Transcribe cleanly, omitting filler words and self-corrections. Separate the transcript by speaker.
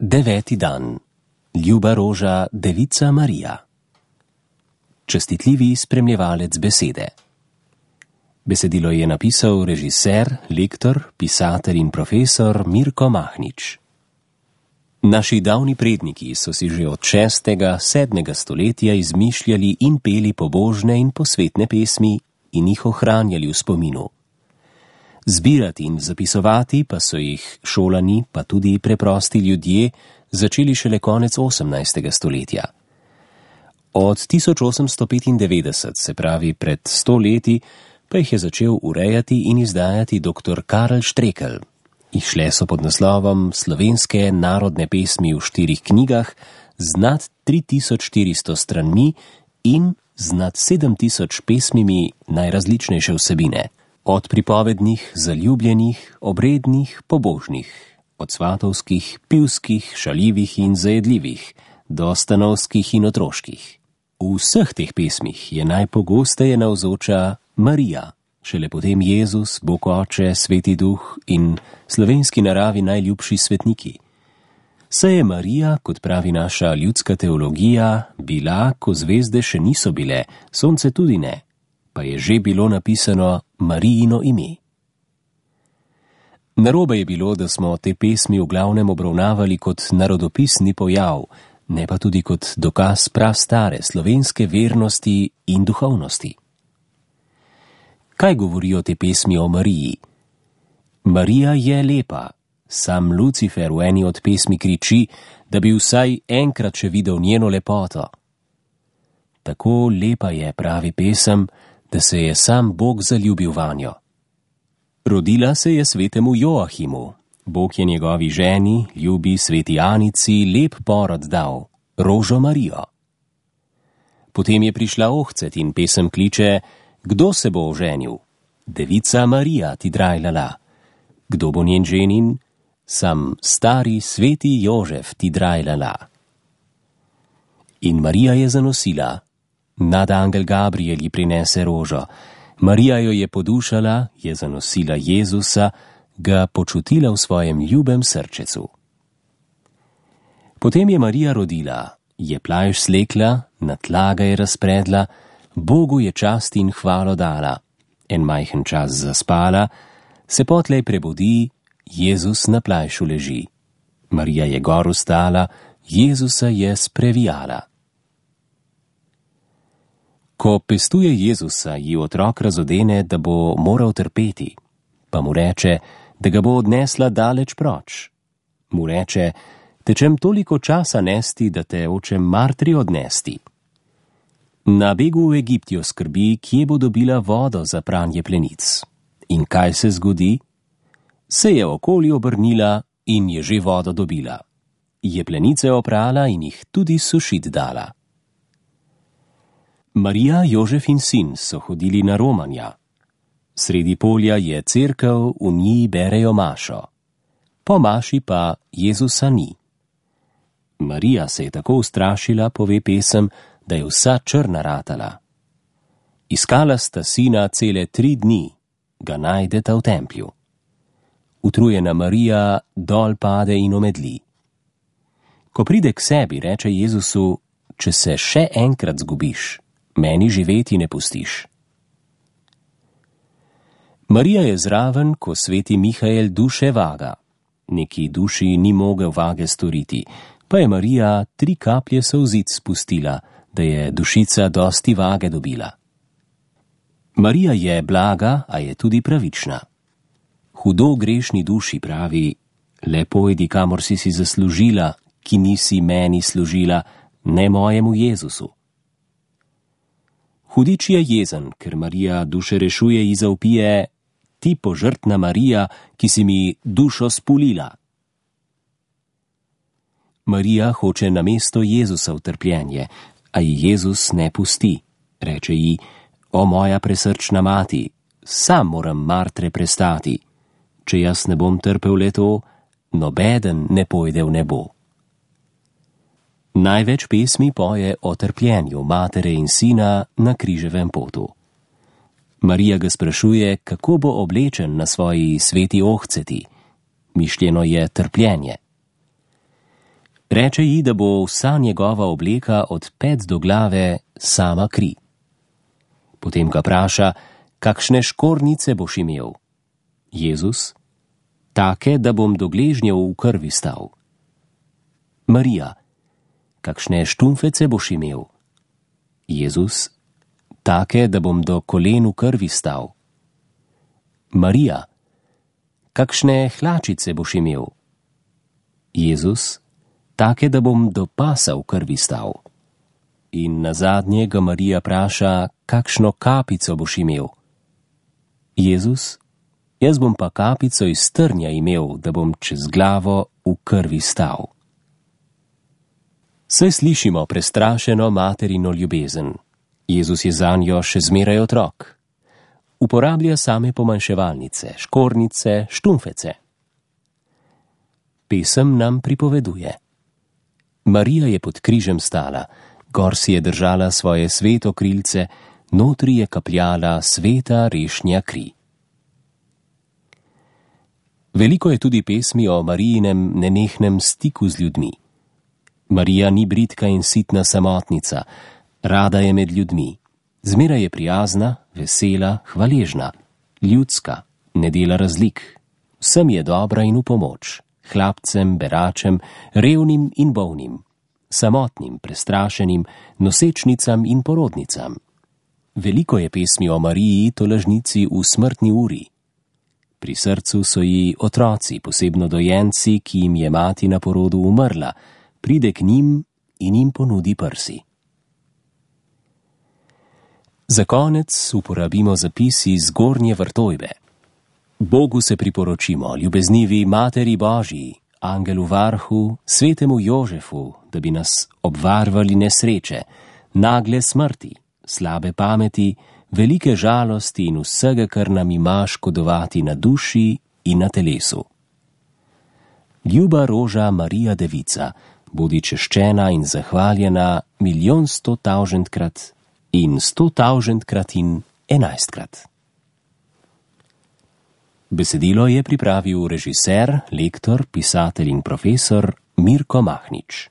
Speaker 1: 9. dan. Ljuba roža, devica Marija. Čestitljivi spremljevalec besede. Besedilo je napisal režiser, lektor, pisatelj in profesor Mirko Mahnič. Naši davni predniki so si že od 6. 7. stoletja izmišljali in peli pobožne in posvetne pesmi in jih ohranjali v spominu. Zbirati in zapisovati pa so jih šolani, pa tudi preprosti ljudje, začeli šele konec 18. stoletja. Od 1895, se pravi pred 100 leti, pa jih je začel urejati in izdajati dr. Karl Štrekelj. Išle so pod naslovom Slovenske narodne pesmi v 4 knjigah z nad 3400 stranmi in z nad 7000 pesmimi najrazličnejše vsebine. Od pripovednih, zaljubljenih, obrednih, pobožnih, od svatovskih, pivskih, šaljivih in zajedljivih, do stanovskih in otroških. V vseh teh pesmih je najpogosteje navzoča Marija, šele potem Jezus, Bog Oče, Sveti Duh in slovenski naravi najljubši svetniki. Saj je Marija, kot pravi naša ljudska teologija, bila, ko zvezde še niso bile, sonce tudi ne, pa je že bilo napisano Marijino ime. Narobe je bilo, da smo te pesmi v glavnem obravnavali kot narodopisni pojav, ne pa tudi kot dokaz prastare slovenske vernosti in duhovnosti. Kaj govorijo te pesmi o Mariji? Marija je lepa. Sam Lucifer v eni od pesmi kriči, da bi vsaj enkrat še videl njeno lepoto. Tako lepa je, pravi pesem, da se je sam Bog zaljubil vanjo. Rodila se je svetemu Joahimu. Bog je njegovi ženi, ljubi sveti Anici, lep porod dal, rožo Marijo. Potem je prišla ohcet in pesem kliče: Kdo se bo oženil? Devica Marija ti drajlala. Kdo bo njen ženin? Sam stari sveti Jožef ti drajlala. In Marija je zanosila. Nadangel Gabriel ji prinese rožo. Marija jo je podušala, je zanosila Jezusa, ga počutila v svojem ljubem srčecu. Potem je Marija rodila, je plajš slekla, na tla ga je razpredla, Bogu je čast in hvalo dala. En majhen čas zaspala, se potlej prebudi, Jezus na plajšu leži. Marija je gor vstala, Jezusa je sprevijala. Ko pestuje Jezusa, ji otrok razodene, da bo moral trpeti, pa mu reče, da ga bo odnesla daleč proč. Mu reče: tečem toliko časa nesti, da te očem Martri odnesti. Na begu v Egipt jo skrbi, kje bo dobila vodo za pranje plenic. In kaj se zgodi? Se je okoli obrnila in je že vodo dobila. Je plenice oprala in jih tudi sušit dala. Marija, Jožef in sin so hodili na romanja. Sredi polja je cerkev, v njej berejo mašo. Po maši pa Jezusa ni. Marija se je tako ustrašila, pove pesem, da je vsa črna ratala. Iskala sta sina cele 3 dni, ga najdeta v templju. Utrujena Marija dol pade in omedli. Ko pride k sebi, reče Jezusu: če se še enkrat zgubiš, meni živeti ne pustiš. Marija je zraven, ko sveti Mihael duše vaga. Neki duši ni mogel vage storiti, pa je Marija 3 kaplje solzic spustila, da je dušica dosti vage dobila. Marija je blaga, a je tudi pravična. Hudo grešni duši pravi: le pojdi, kamor si zaslužila, ki nisi meni služila, ne mojemu Jezusu. Hudič je jezen, ker Marija duše rešuje in zavpije: ti požrtna Marija, ki si mi dušo spulila. Marija hoče namesto Jezusa v trpljenje, a ji Jezus ne pusti. Reče ji: o moja presrčna mati, sam moram Martre prestati. Če jaz ne bom trpel le to, nobeden ne pojde v nebo. Največ pesmi poje o trpljenju matere in sina na križevem potu. Marija ga sprašuje, kako bo oblečen na svoji sveti ohceti. Mišljeno je trpljenje. Reče ji, da bo vsa njegova obleka od pet do glave sama kri. Potem ga vpraša, kakšne škornice boš imel? Jezus: take, da bom do gležnjev v krvi stal. Marija: kakšne štumfece boš imel? Jezus: take, da bom do kolen v krvi stal. Marija: kakšne hlačice boš imel? Jezus: take, da bom do pasa v krvi stal. In nazadnje ga Marija vpraša, kakšno kapico boš imel? Jezus: jaz bom pa kapico iz trnja imel, da bom čez glavo v krvi stal. Saj slišimo prestrašeno materino ljubezen. Jezus je zanjo še zmeraj otrok. Uporablja same pomanjševalnice, škornice, štumfece. Pesem nam pripoveduje. Marija je pod križem stala, gor si je držala svoje sveto krilce, notri je kapljala sveta rešnja kri. Veliko je tudi pesmi o Marijinem nenehnem stiku z ljudmi. Marija ni bridka in sitna samotnica, rada je med ljudmi. Zmeraj je prijazna, vesela, hvaležna, ljudska, ne dela razlik. Vsem je dobra in v pomoč, hlapcem, beračem, revnim in bolnim, samotnim, prestrašenim, nosečnicam in porodnicam. Veliko je pesmi o Mariji, tolažnici v smrtni uri. Pri srcu so ji otroci, posebno dojenci, ki jim je mati na porodu umrla, pride k njim in jim ponudi prsi. Za konec uporabimo zapisi z Gornje Vrtojbe. Bogu se priporočimo, ljubeznivi Materi Božji, Angelu Varhu, Svetemu Jožefu, da bi nas obvarvali nesreče, nagle smrti, slabe pameti, velike žalosti in vsega, kar nam ima škodovati na duši in na telesu. Ljuba roža Marija Devica, bodi češčena in zahvaljena 1.100.000-krat in 100.000-krat in 11-krat. Besedilo je pripravil režiser, lektor, pisatelj in profesor Mirko Mahnič.